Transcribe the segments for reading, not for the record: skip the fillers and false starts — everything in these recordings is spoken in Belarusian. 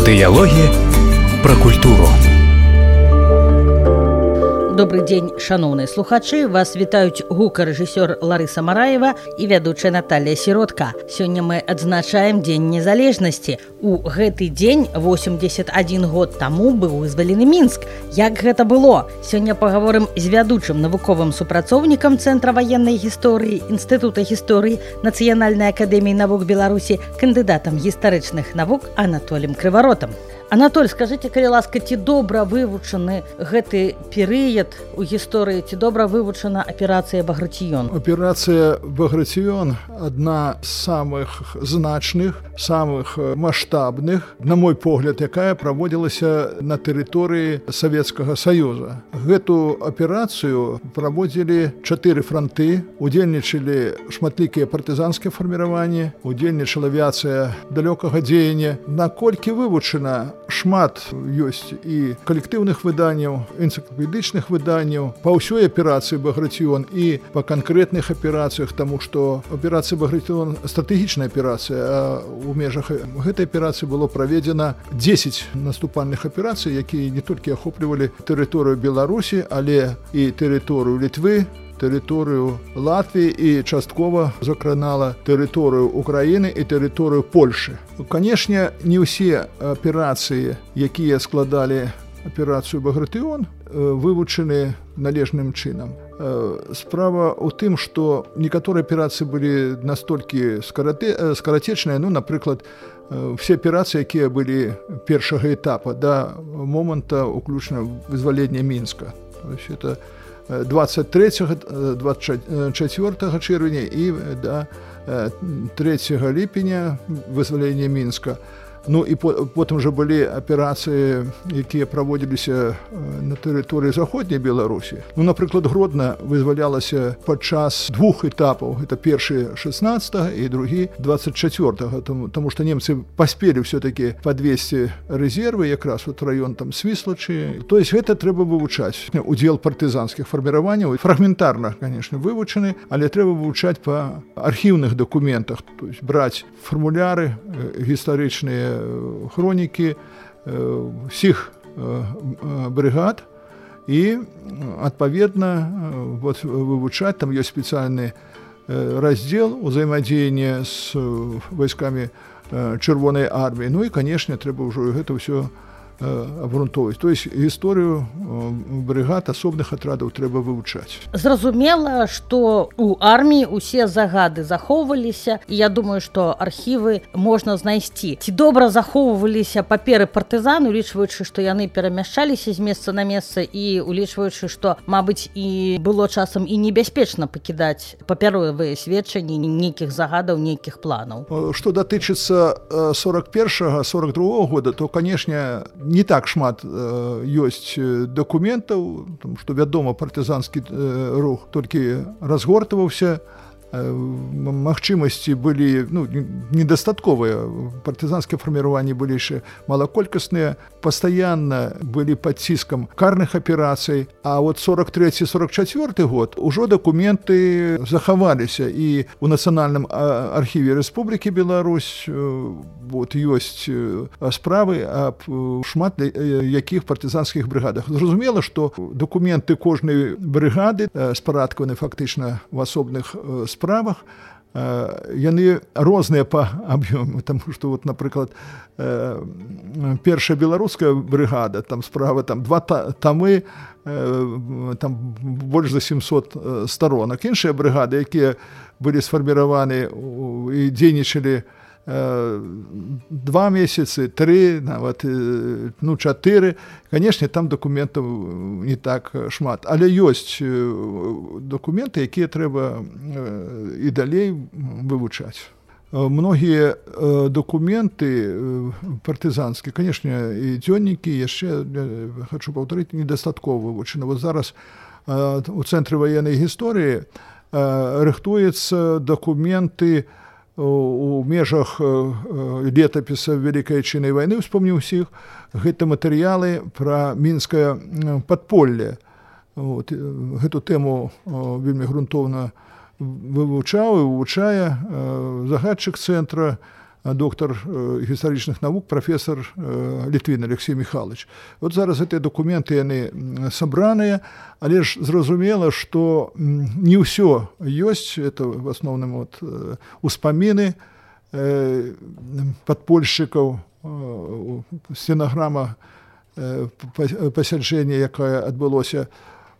Дыялогі пра культуру. Добрый дзень, шаноўныя слухачы. Вас вітаюць гукарэжысёр Ларыса Мараева і вядучая Наталья Сіротка. Сёння мы адзначаем Дзень незалежнасці. У гэты дзень 81 год таму быў вызвалены Мінск. Як гэта было? Сёння пагаворым з вядучым навуковым супрацоўнікам Цэнтра ваеннай гісторыі, Інстытута гісторыі Нацыянальнай акадэміі навук Беларусі, кандыдатам гістарычных навук Анатолем Крываротам. Анатоль, скажите, калі ласка, ці добра вывучаны гэты перыяд у гісторыі, ці добра вывучана аперацыя Багратіён? Операция Багратион одна з самых значных, самых масштабных, на мой погляд, якая праводзілася на тэрыторыі Савецкага Саюза. Гэту аперацыю праводзілі 4 фронты, удзельнічалі шматлікія партызанскія фарміраванні, удзельнічала авіацыя далёкага дзеяння. Наколькі вывучана, шмат ёсць і калектыўных выданняў, энцыклапедычных выданняў па ўсёй аперацыі Багратіён і па канкрэтных аперацыях, таму што аперацыя Багратіён стратэгічная аперацыя, а у межах гэтай аперацыі было праведзена 10 наступальных аперацый, якія не толькі ахоплівалі тэрыторыю Беларусі, але і тэрыторыю Літвы, тэрыторыю Латвіі і часткова закранала тэрыторыю Украіны і тэрыторыю Польшы. Канешне, не ўсе аперацыі, якія складалі аперацыю Багратыён, вывучаны належным чынам. Справа ў тым, што некаторыя аперацыі былі настолькі скарацечныя, напрыклад, все аперацыі, якія былі першага этапа да моманта уключна вызвалення Мінска. Это 23-24 чэрвеня і да 3 ліпеня вызвалення Мінска. І потым жа былі аперацыі, якія праводзіліся на тэрыторыі заходняй Беларусі. Напрыклад, Гродна вызвалялася падчас 2 этапаў. Это першы 16 і другі 24, таму што немцы паспелі ўсё-такі падвесці рэзервы, якраз раён там Свіслачы. То есть гэта трэба вывучаць. Удзел партызанскіх фарміраванняў фрагментарна, конечно, вывучаны, але трэба вывучаць па архіўных дакументах, то есть браць фармуляры гістарычныя, хронікі всіх бригад і, адпаведна, вывучаць. Там ёсць спецыяльны раздзел узаемадзеяння з войскамі Чырвонай арміі. І, канешне, трэба ўжо гэта ўсё абгрунтоўваць. То есть гісторыю бригад, асобных атрадаў трэба вывучаць. Зразумела, што у арміі усе загады захоўваліся, і я думаю, што архівы можна знайсці. Ці добра захоўваліся паперы партызан, улічваючы, што яны перамяшчаліся з месца на месца, і улічваючы, што, мабыць, і было часам і небяспечна пакідаць папяровыя сведчанні нейкіх загадаў, нейкіх планаў. Што датычыцца 41-42 года, то, канешне, не так шмат ёсць дакументаў, тому што, вядома, партызанскі рух толькі разгортваўся, магчымасці былі недастатковыя. Партызанскія фарміраванні былі яшчэ малаколькасныя, пастаянна былі пад ціскам карных аперацый, а 43-44 год ужо дакументы захаваліся, і у Нацыянальным архіве Рэспублікі Беларусь ёсць справы аб шмат якіх партызанскіх брыгадах. Зразумела, што дакументы кожнай брыгады спарадкаваны фактычна в асобных справах, яны розныя па аб'ёму, таму што, напрыклад, першая беларуская брыгада, там справа 2 тамы, там больш за 700 сторонак. Іншыя брыгады, якія былі сфарміраваны і дзейнічалі 2 месяцы, 3, нават 4. Канешне, там дакументаў не так шмат, але ёсць дакументы, якія трэба і далей вывучаць. Многія дакументы партызанскія, канешне, і дзённікі, яшчэ, хочу паўтарыць, недастаткова вывучаны. Зараз у Цэнтры ваеннай гісторыі рыхтуюцца дакументы у межах летапіса Вялікай Айчыннай вайны, успомню ўсіх, гэта матэрыялы пра мінскае падполле. Гэту тэму вельмі грунтоўна вывучаў і вывучае загадчык цэнтра доктар гістарычных навук, прафесор Літвін Алексей Михайлович. Вот зараз гэтыя дакументы яны сабраныя, але ж зразумела, што не ўсё ёсць, это в асноўным успаміны падпольшчыкаў, стенаграма пасяджэння, якое адбылося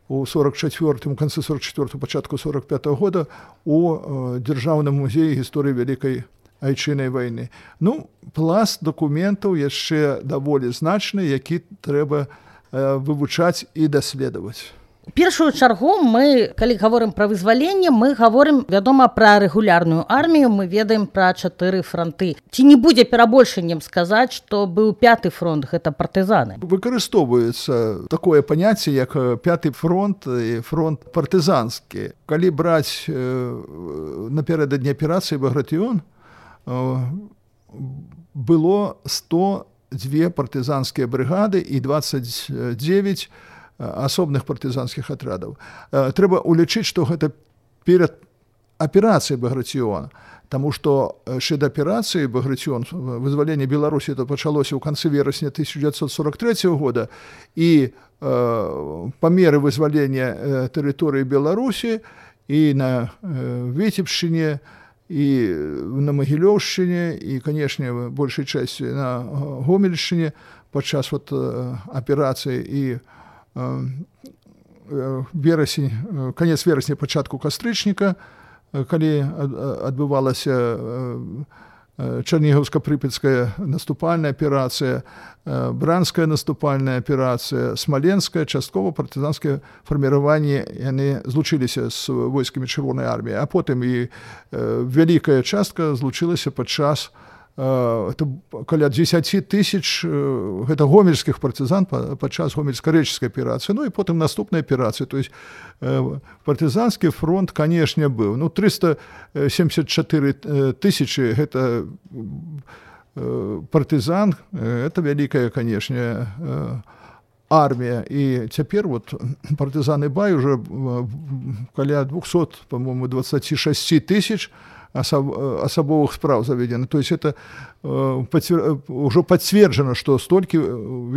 у 44-м, канцы 44-го, пачатку 45-го года у Дзяржаўным музеі гісторыі Вялікай Айчыннай вайны. Ну, пласт дакументаў яшчэ даволі значны, які трэба вывучаць і даследаваць. У першую чаргу мы, калі гаворым пра вызваленне, мы гаворым, вядома, пра рэгулярную армію, мы ведаем пра 4 фронты. Ці не будзе перабольшаннем сказаць, што быў 5-й фронт, гэта партызаны? Выкарыстоўваецца такое паняцце, як 5-й фронт і фронт партызанскі. Калі браць напярэдадні аперацыі «Багратыён», было 102 партызанскія брыгады і 29 асобных партызанскіх атрядаў. Трэба улічыць, што гэта перад аперацыяй «Багратыён», таму што яшчэ да аперацыі «Багратыён» вызваленне Беларусі это пачалося ў канцы верасня 1943 года, і па меры вызвалення тэрыторыі Беларусі і на Віцебшчыне, і на Магілёўшчыне, і, канешне, большай часці на Гомельшчыне падчас аперацыі і канец верасня, пачатку кастрычніка, калі адбывалася Чарнігаўска-Прыпяцкая наступальная аперацыя, Бранская наступальная аперацыя, Смаленская, часткова партызанскія фарміраванні, яны злучыліся з войскамі Чырвонай арміі, а потым і вялікая частка злучылася падчас каля 10 тысяч гэта гомельскіх партызан падчас гомельска-рэчыцкай аперацыі, ну і потым наступнай аперацыі. То есть партызанскі фронт, канешне, быў. Ну, 374 тысячы гэта партызан, это вялікая, канешне, армія. І цяпер партызаны бай уже каля 200, по-моему, 26 тысяч асабовых спраў заведено. То есть это уже подтверждено, что столькі,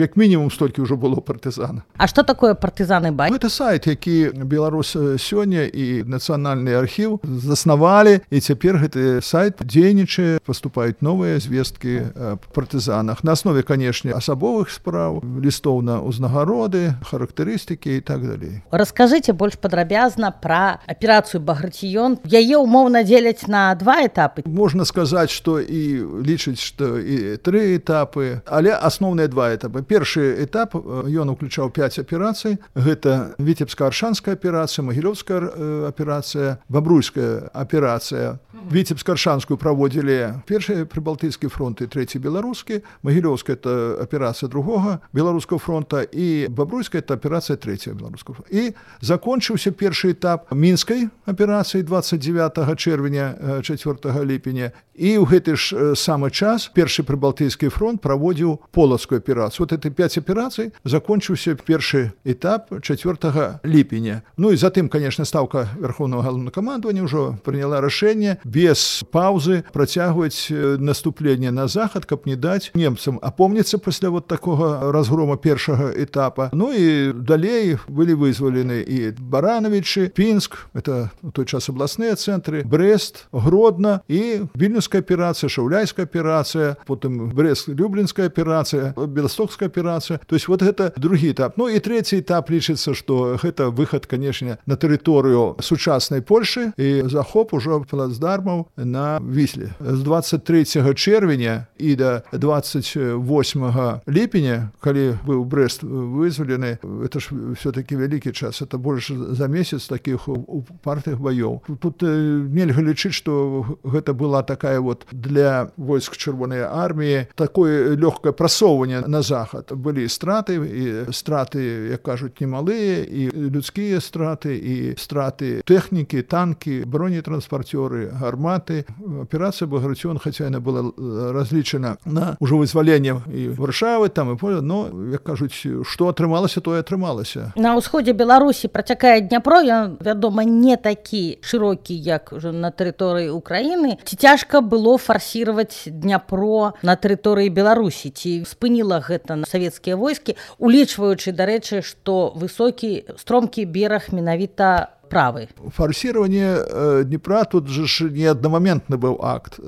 як мінімум столькі ўжо было партызан. А што такое партызаны бай? Это сайт, які Беларусь сёння і Нацыянальны архіў заснавалі, і цяпер гэты сайт дзейнічае, паступаюць новыя звесткі аб партызанах. На аснове, канешне, асабовых спраў, лістоў на ўзнагароды, характарыстыкі і так далей. Раскажыце больш падрабязна пра аперацыю «Багратыён». Яе умоўна дзеляць на 2 этапы. Можна сказаць, што і лічыць, што і 3 этапы, але асноўныя 2 этапы. Першы этап, ён уключаў 5 аперацый. Гэта Віцебска-Аршанская аперацыя, Магілёўская аперацыя, Бабруйская аперацыя. Віцебска-Аршанскую праводзілі першы Прыбалтыйскі фронт і трэці беларускі, Магілёўская это аперацыя другога беларускага фронта, і Бабруйская это аперацыя трэцяга беларускага фронта. І закончыўся першы этап мінскай аперацыі 29 чэрвеня 4 ліпеня, і ў гэты ж самы час першы Прыбалтыйскі фронт праводзіў полацкую аперацыю. Вот эти 5 аперацый закончыўся першы этап 4 ліпеня. Ну і затым, конечно, ставка Верховного галоўнакамандавання ўжо прыняла рашэнне без паўзы працягваць наступленне на захад, каб не даць немцам апомніцца пасля такога разгрома першага этапа. Ну і далей былі вызвалены і Барановичы, Пінск, это у той час абласныя цэнтры, Брест, Гродно і Вільнюская аперацыя, Шаўляйская аперацыя, потым Брест-Люблінская аперацыя, Беластокская аперацыя. То есть гэта другі этап. Ну і трэці этап лічыцца, што гэта выхад, канешне, на тэрыторыю сучаснай Польшы і захоп ужо плацдармаў на Вісле. З 23 чэрвеня і да 28 ліпеня, калі быў Брест вызвалены, это ж все-таки вялікі час, это больш за месяц такіх упартых баёў. Тут нельга лічыць, што гэта была такая для войск Чырвонай арміі такое лёгкае прасоўванне на захад. Былі страты, і страты, як кажуць, немалыя, і людскія страты, і страты тэхнікі, танкі, бронетранспартёры, гарматы. Аперацыя «Багратыён», хаця яна была разлічана на ўжо вызваленне і Варшавы, там і поле, но, як кажуць, што атрымалася, тое атрымалася. На ўсходзе Беларусі працякае Дняпро, ён, вядома, не такі шырокі, як на тэрыторыі тэрыторыі Украіны. Ці цяжка было фарсіраваць Дняпро на тэрыторыі Беларусі? Ці спыніла гэта савецкія войскі, улічваючы, дарэчы, што высокі стромкі бераг менавіта правы? Форсирование Днепра тут же не одномоментный был акт.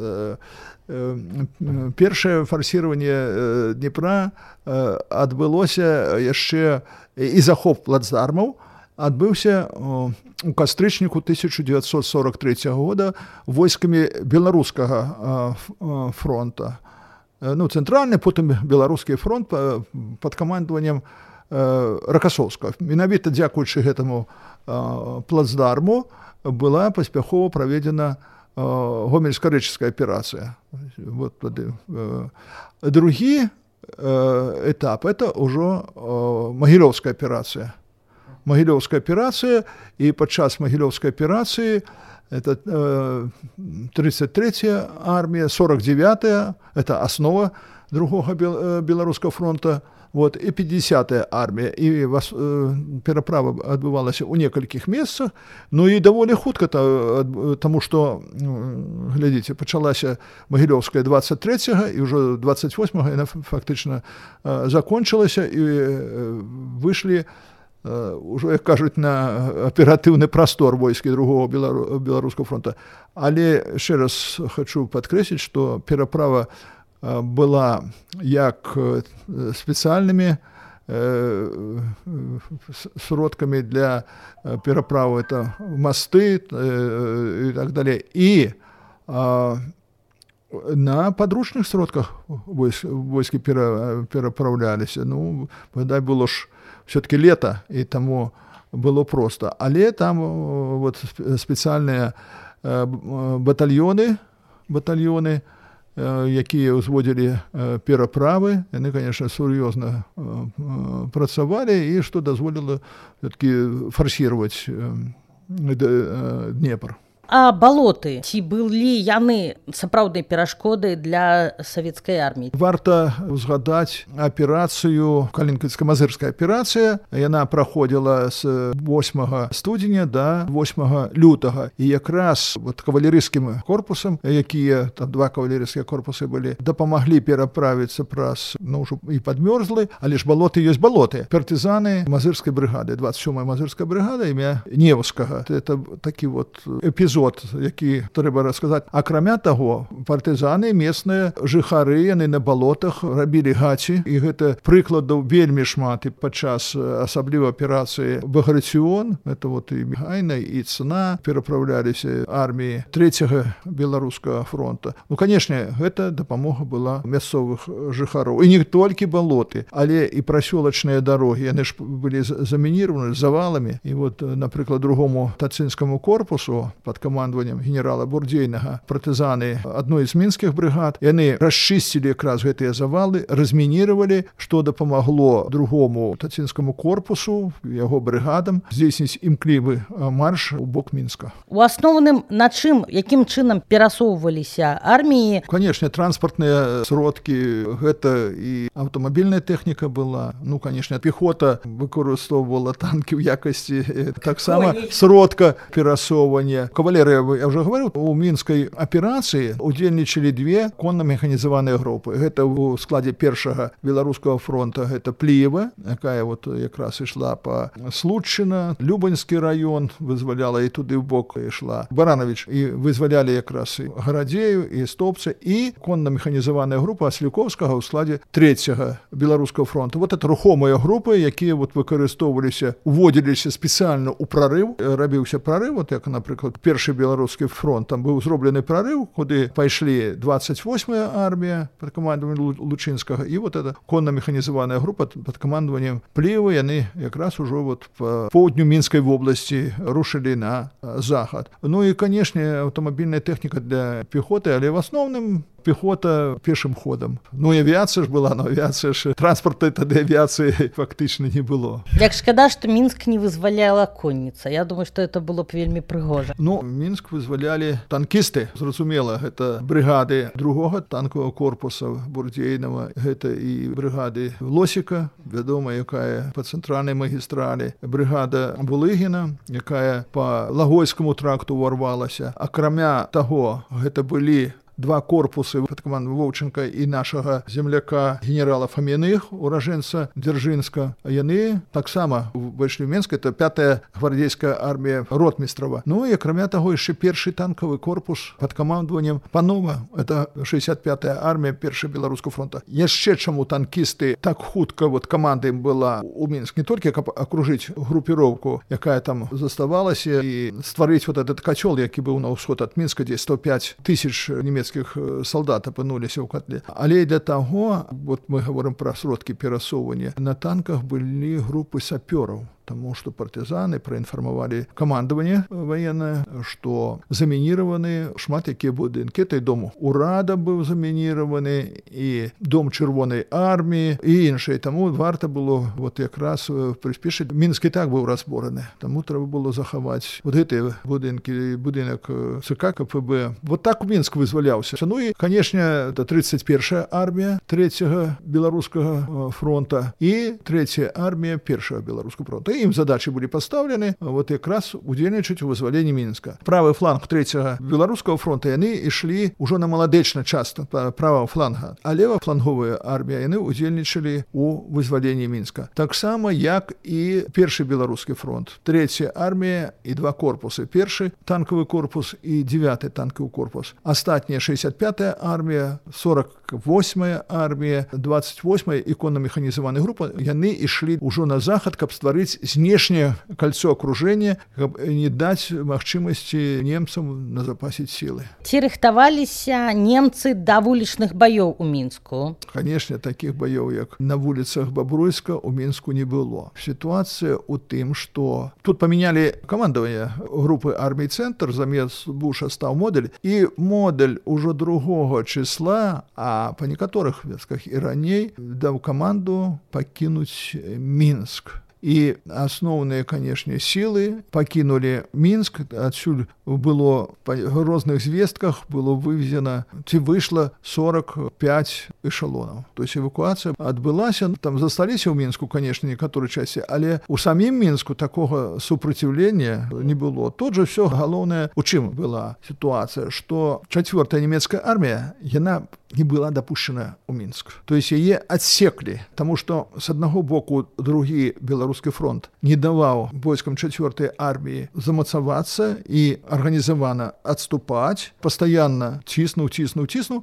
Першае форсирование Днепра адбылося яшчэ і захоп плацдармаў адбыўся у кастрычніку 1943 года войскамі беларускага фронта. Ну, цэнтральны, потым беларускі фронт пад камандаваннем Ракасоўскага. Менавіта дзякуючы гэтаму плацдарму была паспяхова праведзена Гомельска-Рэчыцкая аперацыя. Вот, другі этап – это ўжо Магілёўская аперацыя. Магілёўская аперацыя, і падчас Магілёўскай аперацыі это 33-я армія, 49-я, это основа другога беларускага фронта, вот, і 50-я армія. І пераправа адбывалася ў некалькіх месцах, ну і даволі хутка, таму што, глядзіце, пачалася Магілёўская 23-го, і ўжо 28-го яна фактычна закончылася, і выйшлі уже, як кажуць, на аператыўны прастор войскі другого беларускага фронта. Але яшчэ раз хочу падкрэсліць, што пераправа была як спецыяльнымі сродкамі для пераправы, это мосты і так далее. І на падручных сродках войскі пераправляліся. Ну, дай было ж все-таки лето, и тому было просто. Але там вот специальные батальоны, якія ўзводзілі пераправы, яны, конечно, сур'ёзна працавалі, і што дазволіла все-таки форсировать Днепр. А балоты, ці былі яны сапраўднай перашкодай для савецкай арміі? Варта узгадаць аперацыю, Калінінская-Мазырская аперацыя. Яна праходзіла з 8 студзеня до 8 лютага. І якраз вот кавалерыйскім корпусам, якія, там 2 кавалерыйскія корпусы былі, дапамаглі пераправіцца праз, ну, ўжо і падмёрзлы, але ж балоты ёсць балоты. Партызаны Мазырскай брыгады, 27-я Мазырская брыгада, імя Невскага. Это такі вот эпізод, які трэба расказаць. Акрамя таго, партызаны, местныя жыхары, яны на балотах рабілі гаці, і гэта прыкладаў вельмі шмат. І падчас асабліва аперацыі Баграцыён, это вот і Гайна, і Цна, пераправляліся арміі 3-го беларускага фронта. Ну, канешне, гэта дапамога была мясцовых жыхароў. І не толькі балоты, але і прасёлачныя дарогі. Яны ж былі замініраваны заваламі. І вот, напрыклад, другому тацынскаму корпусу пад камандаваннем генерала Бурдзейнага партызаны адной з мінскіх брыгад, яны расчысцілі якраз гэтыя завалы, размініравалі, што дапамагло другому тацынскаму корпусу, яго брыгадам здзейсніць імклівы марш у бок Мінска. У асноўным на чым, якім чынам перасоўваліся арміі? Канешне, транспартныя сродкі, гэта і аўтамабільная тэхніка была. Ну, канешне, пехота выкарыстоўвала танкі ў якасці таксама сродка перасоўвання. Кавалерыя, я уже говорил, у мінскай аперацыі удзельнічалі 2 конна-механізаваныя групы. Гэта ў складзе першага беларускага фронта, гэта Пліева, якая вот якраз ішла па Случчына, Любаньскі раён вызваляла, і туды ў бок ішла Баранович, і вызвалялі якраз і Гарадзею, і Стопца, і конна-механізаваная група Аслюковскага ў складзе 3-го беларускага фронта. Вот это рухомыя групы, якія вот выкарыстоўваліся, уводзіліся спецыяльна ў прарыў, рабіўся прарыў, вот як, напрыклад, першы беларускі фронт, там быў зроблены прарыў, куды пайшлі 28-я армія пад камандаваннем Лучынскага, і вот эта конна-механізаваная група пад камандаваннем Плівы, яны якраз ужо вот па поўдню Мінскай вобласці рушылі на захад. Ну і, канешне, аўтамабільная тэхніка для пехоты, але в асноўным Пехота пешым ходам. Ну і авіацыя ж была, но авіацыя ж транспарта тады авіацыі фактычна не было. Як шкада, што Мінск не вызваляла конніца. Я думаю, што это было б вельмі прыгожа. Ну, Мінск вызвалялі танкісты. Зразумела, гэта брыгады другога танкового корпуса Бурдзейнава, гэта і брыгады Лосіка, вядома, якая па цэнтральнай магістралі, брыгада Булыгіна, якая па Лагойскаму тракту ўварвалася. Акрамя таго, гэта былі два корпусы пад камандай Вовченка і нашага земляка генерала Фаміных, уражэнца Дзяржынска. Яны таксама выйшлі ў Мінск, это 5-я гвардейская армія ротмістрава. Ну і акрамя таго яшчэ першы танкавы корпус пад камандаваннем Панова, это 65-я армія першага беларускага фронта. Яшчэ чаму танкісты так хутка каманда ім была ў Мінск, не толькі каб акружыць групіроўку, якая там заставалася, і стварыць этот кацёл, які быў на ўсход ад Мінска, дзе 105 тысяч немецкіх солдат апынуліся ў котле. Але і для таго, мы говорим пра сродкі перасоўвання, на танках былі групы сапёраў, таму што партызаны праінфармавалі камандаванне ваеннае, што замініраваны шмат якія будынкі. Той дом урада быў замініраваны, і дом Чырвонай арміі, і іншыя. Таму варта было якраз прыспешыць. Мінск і так быў разбораны. Таму трэба было захаваць гэтыя будынкі, будынак ЦК КПБ. Так Мінск вызваляўся. Ну і, канешне, это 31-я армія 3-го беларускага фронта і 3-я армія 1-го беларускага фронта. Ім задачы былі пастаўлены якраз удзельнічаць у вызваленні Мінска. Правы фланг 3-го беларускага фронта яны ішлі ўжо на маладэчны част правага фланга, а левафланговая армія яны удзельнічалі у вызваленні Мінска. Таксама як і першы беларускі фронт. 3-я армія і два корпусы. Першы танкавы корпус і 9-й танкавы корпус. Астатнія 65-я армія, 48-я армія, 28-я іконна-механізаваная група, яны ішлі ўжо на захад, каб стварыць знешняе кольцо окружения, каб не даць магчымасці немцам назапасіць сілы. Ці рыхтаваліся немцы да вулічных баёў у Мінску? Канешне, такіх баёў, як на вуліцах Бабруйска, у Мінску не было. Сітуацыя ў тым, што тут памянялі камандаванне групы армій «Цэнтр», замест Буша стаў модуль, і модуль ужо 2 числа, а па некаторых вёсках і раней, даў каманду пакінуць Мінск. І асноўныя, канешне, сілы пакінулі Мінск. Адсюль было па розных звестках было вывезена, ці выйшла 45 эшалонаў. То есть эвакуацыя адбылася, там засталіся ў Мінску, канешне, некаторыя часці, але ў самім Мінску такога супраціўлення не было. Тут жа ўсё галоўнае, у чым была сітуацыя, што 4-я нямецкая армія, яна не была дапушчана ў Мінск. То есть яе адсеклі, таму што з аднаго боку другі беларускі фронт не даваў войскам 4-й арміі замацавацца і арганізавана адступаць, пастаянна ціснуў,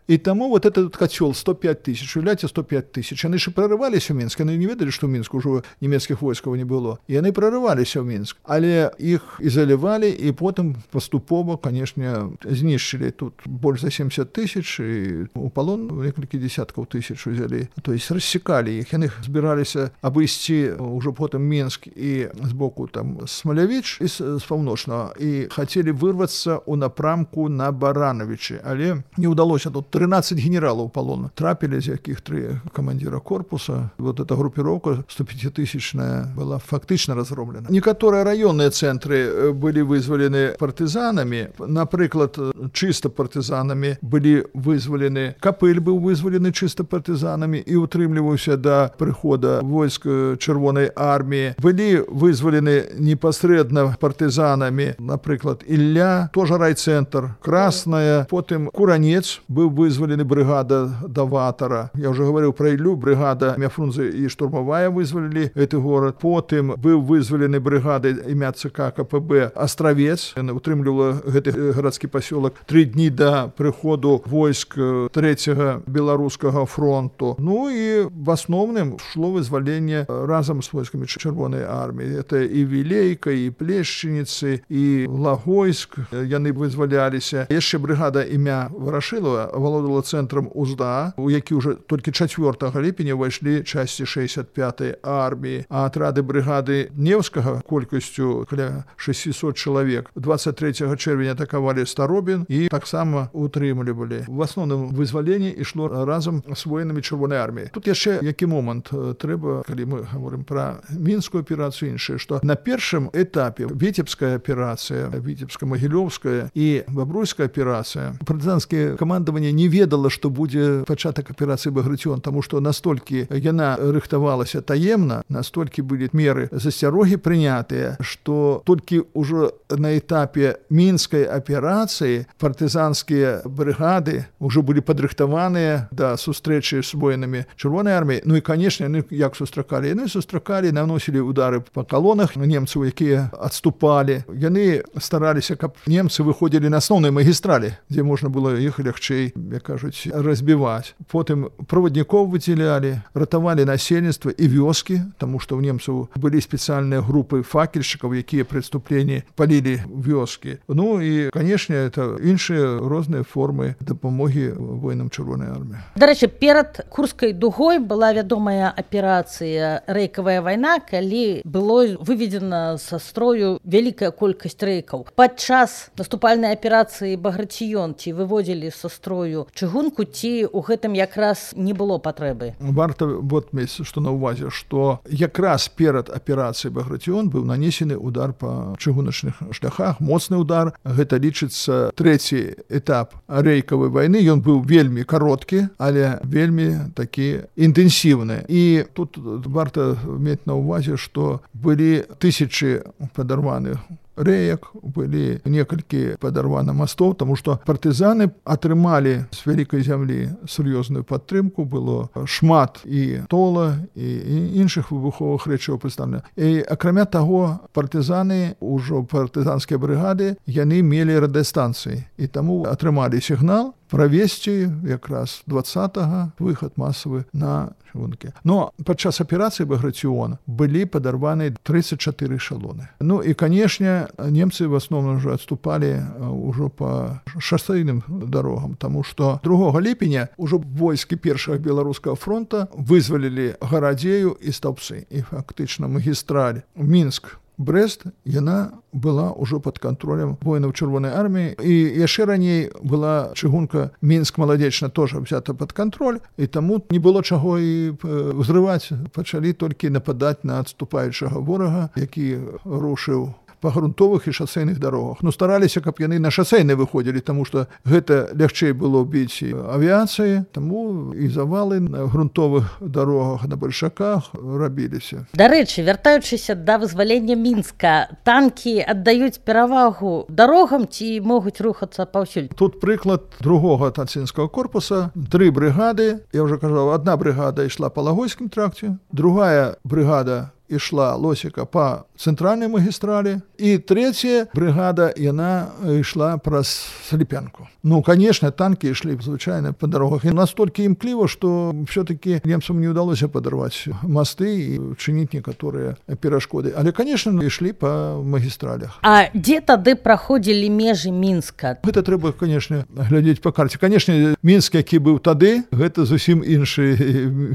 і таму этот кацёл 105 тысяч, уявляеце, 105 тысяч. Яны ж прарываліся ў Мінск, яны не ведалі, што ў Мінску ўжо нямецкіх войскаў не было. Яны прарываліся ў Мінск, але іх ізалявалі, і потым паступова, канешне, знішчылі. Тут больш за 70 тысяч, і у палон некалькі десяткаў тысяч узялі. То есть рассекалі іх. Яны збіраліся абысці ўжо потым Мінск і з боку там Смалявіч і з паўночнага, і хацелі вырвацца ў напрамку на Барановичы, але не ўдалося. Тут 13 генералаў палона трапілі, з якіх 3 камандзіра корпуса. Эта групіроўка 105-тысячная была фактычна разроблена. Некаторыя раённыя цэнтры былі вызвалены партызанамі. Напрыклад, чыста партызанамі былі вызвалены. Капыль быў вызвалены чыста партызанамі і утрымліваўся да прыхода войск Чырвонай арміі. Былі вызвалены непасрэдна партызанамі, напрыклад, Ілля, тоже райцэнтр, Красная, потым Куранец, быў вызвалены брыгада Даватара. Я ўжо гаварыў пра Іллю, брыгада імя Фрунзе і штурмавая вызвалілі гэты горад. Потым быў вызвалены брыгада імя ЦК КПБ Астравец, яна утрымлівала гэты гарадскі пасёлак 3 дні да прыходу войск 3-го беларускага фронту. Ну і в асноўным шло вызваленне разам з войскамі Чырвонай арміі. Это і Вілейка, і Плешчыніцы, і Лагойск. Яны вызваляліся. Яшчэ брыгада імя Варашылава валодала цэнтрам УЗДА, у які ўжо толькі 4 ліпеня ўвайшлі часці 65-й арміі. А атрады брыгады Невскага колькасцю каля 600 чалавек 23 чэрвеня атакавалі Старобін і таксама утрымлівалі. В асноўным вызваленне вызвалення ішло разам з воінамі Чырвонай арміі. Тут яшчэ які момант трэба, калі мы говорим пра мінскую аперацыю, іншае, што на першым этапе Віцебская аперацыя, Віцебска-Магілёўская і Бабруйская аперацыя, партызанскае камандаванне не ведала, што будзе пачатак аперацыі Баграцыён, таму што настолькі яна рыхтавалася таемна, настолькі былі меры засцярогі прынятыя, што толькі ўжо на этапе мінскай аперацыі партызанскія брыгады ўжо былі падрыхтаваныя да сустрэчы з воінамі Чырвонай арміі. Ну і, канешне, яны як сустракалі? Яны сустракалі, наносілі удары па калонах немцаў, якія адступалі. Яны стараліся, каб немцы выходзілі на асноўнай магістралі, дзе можна было іх лягчэй, як кажуць, разбіваць. Потым праваднікоў выдзялялі, ратавалі насельніцтва і вёскі, таму што ў немцаў былі спецыяльныя групы факельшчыкаў, якія пры адступленні палілі вёскі. Ну і, канешне, это іншыя розныя формы дапамогі воінам Чырвонай арміі. Дарэчы, перад Курскай дугой была вядомая аперацыя «Рэйкавая вайна», калі было выведзена са строю вялікая колькасць рэйкаў. Падчас наступальнай аперацыі «Баграцыён» ці выводзілі са строю чыгунку, ці ў гэтым якраз не было патрэбы? Варта вот мець, што на ўвазе, што якраз перад аперацыяй «Баграцыён» быў нанесены удар па чыгуначных шляхах, моцны удар. Гэта лічыцца трэці этап рэйкавай вайны. Ён быў вельмі кароткі, але вельмі такі інтэнсіўны. І тут варта мець на ўвазе, што былі тысячы падарваных рэек, былі некалькі падарвана мастоў, таму што партызаны атрымалі з вялікай зямлі сур'ёзную падтрымку, было шмат і тола, і іншых выбуховых рэчаў прадстаўлена. І акрамя таго, партызаны, ўжо партызанскія брыгады, яны мелі радыёстанцыі, і таму атрымалі сігнал правесці якраз 20-го выхад масавы на чыгункі. Но падчас аперацыі «Баграцыён» былі падарваны 34 эшалоны. Ну і, канешне, немцы в асноўным ўжо адступалі ўжо па шасэйным дарогам, таму што 2 ліпеня ўжо войскі першага беларускага фронта вызвалілі Гарадзею і Стаўпсы. І фактычна магістраль Мінск Брэст, яна была ўжо пад кантролем воінаў Чырвонай арміі. І яшчэ раней была чыгунка Мінск-Маладзечна тоже взята пад кантроль, і таму не было чаго і ўзрываць. Пачалі толькі нападаць на адступаючага ворага, які рушыў па грунтовых і шасейных дарогах. Ну, стараліся, каб яны на шасейны выходзілі, таму што гэта лягчэй было біць авіяцыі, таму і завалы на грунтовых дарогах, на бальшаках рабіліся. Дарэчы, вяртаючыся да вызвалення Мінска, танкі аддаюць перавагу дарогам ці могуць рухацца паўсюль? Тут прыклад 2-го танцінскага корпуса. 3 брыгады, я ўжо кажаў, адна брыгада ішла па Лагойскім тракце, другая брыгада ішла Лосіка па цэнтральнай магістралі, і трэцяя брыгада, яна ішла праз Сліпянку. Ну, конечно, танкі ішлі звычайна па дарогах. І настолькі імкліва, што все-таки немцам не ўдалося падарваць масты і чыніць некаторыя перашкоды. Але, конечно, ішлі па магістралях. А дзе тады праходзілі межы Мінска? Гэта трэба, конечно, глядзець па карце. Конечно, Мінск, які быў тады, гэта зусім іншы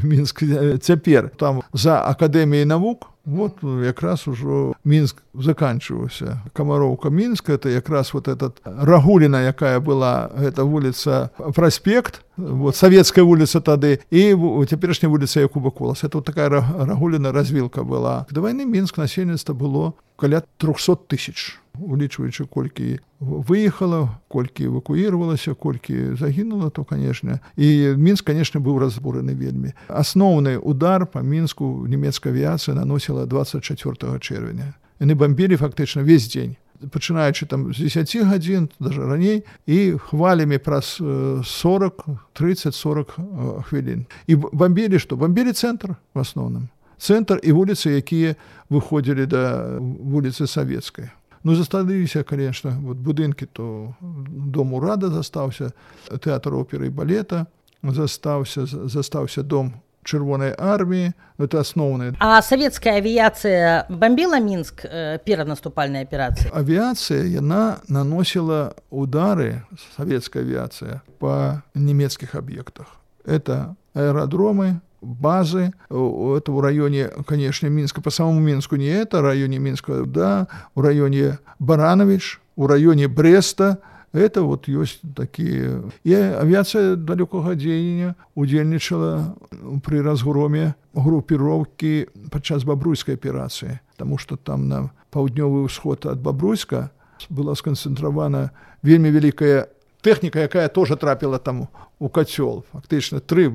Мінск цяпер. Там за Акадэміяй навук, вот якраз ужо Мінск заканчиваўся. Камароўка Мінск, это якраз вот этот Рагуліна, якая была, это вуліца Праспект, вот Савецкая вуліца тады, і цяперашняя вуліца Якуба Коласа. Это вот такая Рагуліна развілка была. До вайны Мінск насельніцтва было каля 300 тысяч. Улічваючы, колькі выехала, колькі эвакуіравалася, колькі загінула, то, конечно. І Мінск, конечно, быў разбураны вельмі. Асноўны удар па Мінску нямецкая авіяцыя наносіла 24 чэрвеня. Яны бомбілі фактычна весь дзень, пачынаючы там з 10 гадзін, даже раней, і хвалямі праз 30-40 хвілін. І бомбілі што? Бомбілі цэнтр в асноўным. Цэнтр і вуліцы, якія выходзілі да вуліцы Савецкай. Ну, засталіся, конечно, вот будынкі, то дом урада застаўся, тэатр оперы і балета застаўся дом Чырвонай арміі, это асноўнае. А савецкая авіяцыя бомбіла Мінск перад наступальнай аперацыяй? Авіяцыя, яна наносіла удары, савецкая авіяцыя, па нямецкіх аб'ектах. Это аэродромы, базы, это в районе, конечно, Минска, по самому Минску не это, в районе Минска, да, в районе Баранович, в районе Бреста, это вот ёсць такія. І авіацыя далёкага дзеяння удзельнічала пры разгроме групіроўкі падчас бабруйскай аперацыі, таму што там на паўднёвы ўсход ад Бабруйска была сканцэнтравана вельмі вялікая тэхніка, якая тоже трапіла там у кацёл. Фактычна 3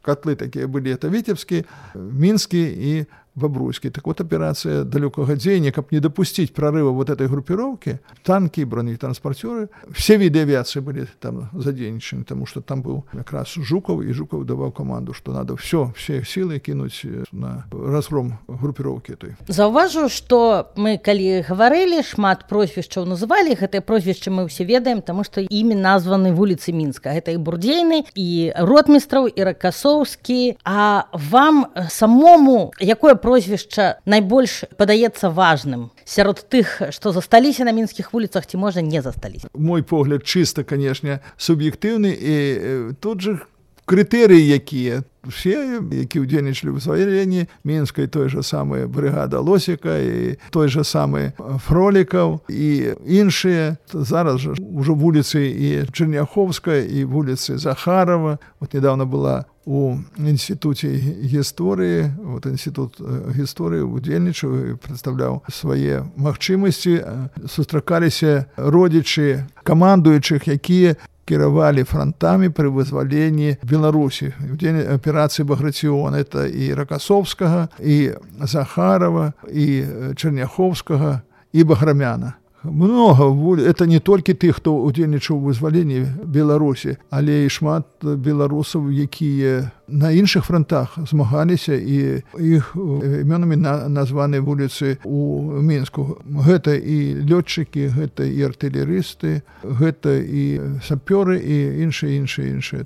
котлы такія былі, это Віцебскі, Мінскі і Бабруйскі. Так вот, операция далекого дзеяния, как не допустить прорыва вот этой группировки, танки, бронетранспортеры, все виды авиации были там задействованы, потому что там был как раз Жуков, и Жуков давал команду, что надо все силы кинуть на разгром группировки этой. Заўважу, что мы, калі говорили, шмат прозвішчаў называли, гэтыя прозвішчы мы все ведаем, потому что ими названы вуліцы Мінска. Это и Бурдзейны, и Ротмістраў, и Ракасоўскі. А вам самому якое прозвішча найбольш падаецца важным сярод тых, што засталіся на мінскіх вуліцах, ці можа не засталіся? Мой погляд чыста, канешне, суб'ектыўны, і тут же крытэрыі якія. Все, які ўдзельнічалі ў вызваленні Мінскай, той же самы брыгада Лосіка, і той же самы Фролікаў, і іншыя. Зараз жа ўжо вуліцы і Чэрняховская, і вуліцы Захарова. Вот недавно была у Інстытуце гісторыі, вот Інстытут гісторыі удзельнічаў і прадстаўляў свае магчымасці. Сустракаліся родзічы камандуючых, якія кіравалі фронтамі пры вызваленні Беларусі. В дзень аперацыі Баграцыёна это і Ракасоўскага, і Захарова, і Чэрняховскага, і Баграмяна. Много, это не толькі тых, хто удзельнічаў у вызваленні Беларусі, але і шмат беларусаў, якія на іншых фронтах змагаліся, і іх імёнамі названы вуліцы у Мінску. Гэта і лётчыкі, гэта і артылерысты, гэта і сапёры, і іншыя.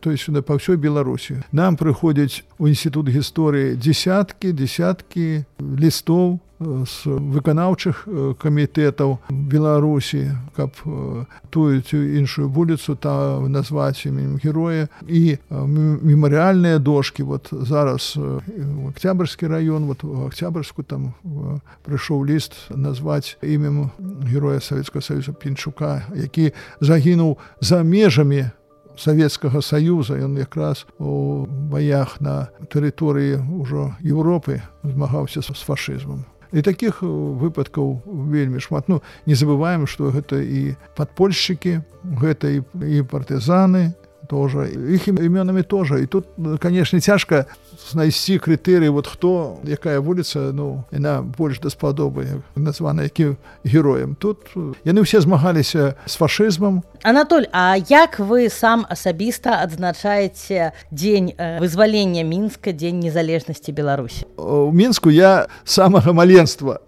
То есть сюда па ўсёй Беларусі. Нам прыходзяць у Інстытут гісторыі десяткі лістоў з выканаўчых камітэтаў Беларусі, каб тую іншую вуліцу там назваць іменем героя, і мемарыяльныя дошкі. Вот зараз Октябрьскі раён, вот у Октябрьску там прыйшоў ліст назваць імем героя Савецкага Саюза Пінчука, які загінуў за межамі Савецкага Саюза. Ён якраз у баях на тэрыторыі ўжо Еўропы змагаўся з фашызмам. І такіх выпадкаў вельмі шмат. Ну, не забываем, што гэта і падпольшчыкі, гэта і партызаны тоже, іх імёнамі тоже. І тут, конечно, цяжка знайсці крытэрыі, вот хто, якая вуліца, ну, яна больш даспадобы названа якім героем. Тут яны ўсе змагаліся з фашызмам. Анатоль, а як вы сам асабіста адзначаеце дзень вызвалення Мінска, дзень незалежнасці Беларусі? У Мінску я самага маленства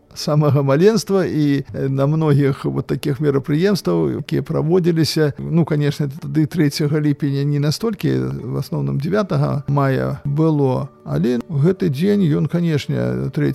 і на многіх вот таких мерапрыемстваў, якія праводзіліся. Ну, конечно, тады 3 ліпеня не настолькі, в асноўным 9 мая было, але гэты дзень, ён, конечно, 3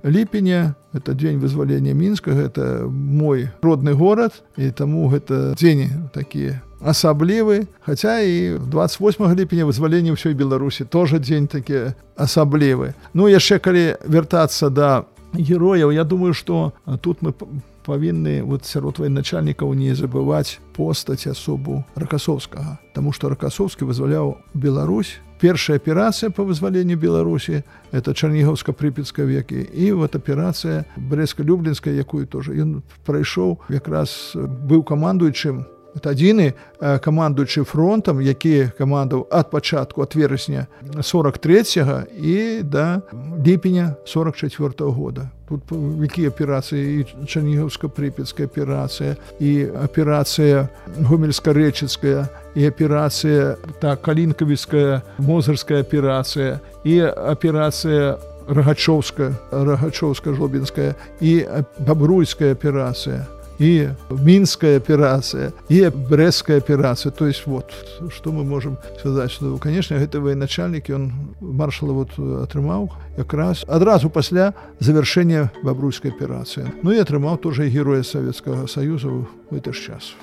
ліпеня, это дзень вызвалення Мінска, гэта мой родны горад, і таму гэта дзень такі асаблівы, хаця і 28 ліпеня вызвалення ўсёй Беларусі тоже дзень такі асаблівы. Ну, яшчэ калі вяртацца да герояў, я думаю, што тут мы павінны вот сярод военачальнікаў не забываць постаць асобу Ракасоўскага, таму што Ракасоўскі вызваляў Беларусь. Першая аперацыя па вызваленню Беларусі — это Чарнігаўска-Прыпецкая векі, і вот аперацыя Брэстска-Люблінская, якую тоже ён прайшоў, якраз быў камандуючым. Это адзіны камандуючы фронтам, які камандаў ад пачатку, ад верасня 43-го і да ліпеня 44-го года. Тут якія аперацыі, і Чарнігаўска-Прыпецкая аперацыя, і аперацыя Гомельска-Рэчыцкая, і аперацыя Калінкавіцкая, Мозырская аперацыя, і аперацыя Рагачоўска-Жлобінская, і Бабруйская аперацыя, и Минская операция, и Брестская операция. То есть вот, что мы можем сказать, что, конечно, это военачальник, он маршала вот атрымаў якраз адразу пасля завершения Бабруйской операции. Ну и атрымаў тоже героя Советского Союза в этот час.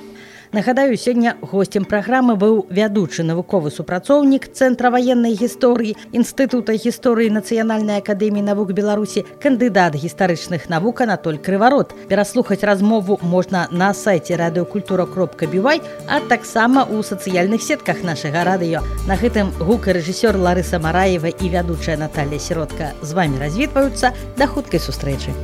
Нагадаю, сёння госцем праграмы быў вядучы навуковы супрацоўнік Цэнтра ваеннай гісторыі Інстытута гісторыі Нацыянальнай акадэміі навук Беларусі, кандыдат гістарычных навук Анатоль Крыварот. Пераслухаць размову можна на сайце радыёкультура.бівай, а таксама ў сацыяльных сетках нашага радыё. На гэтым гукарэжысёр Ларыса Мараева і вядучая Наталья Сіротка з вамі развітваюцца. Да хуткай сустрэчы.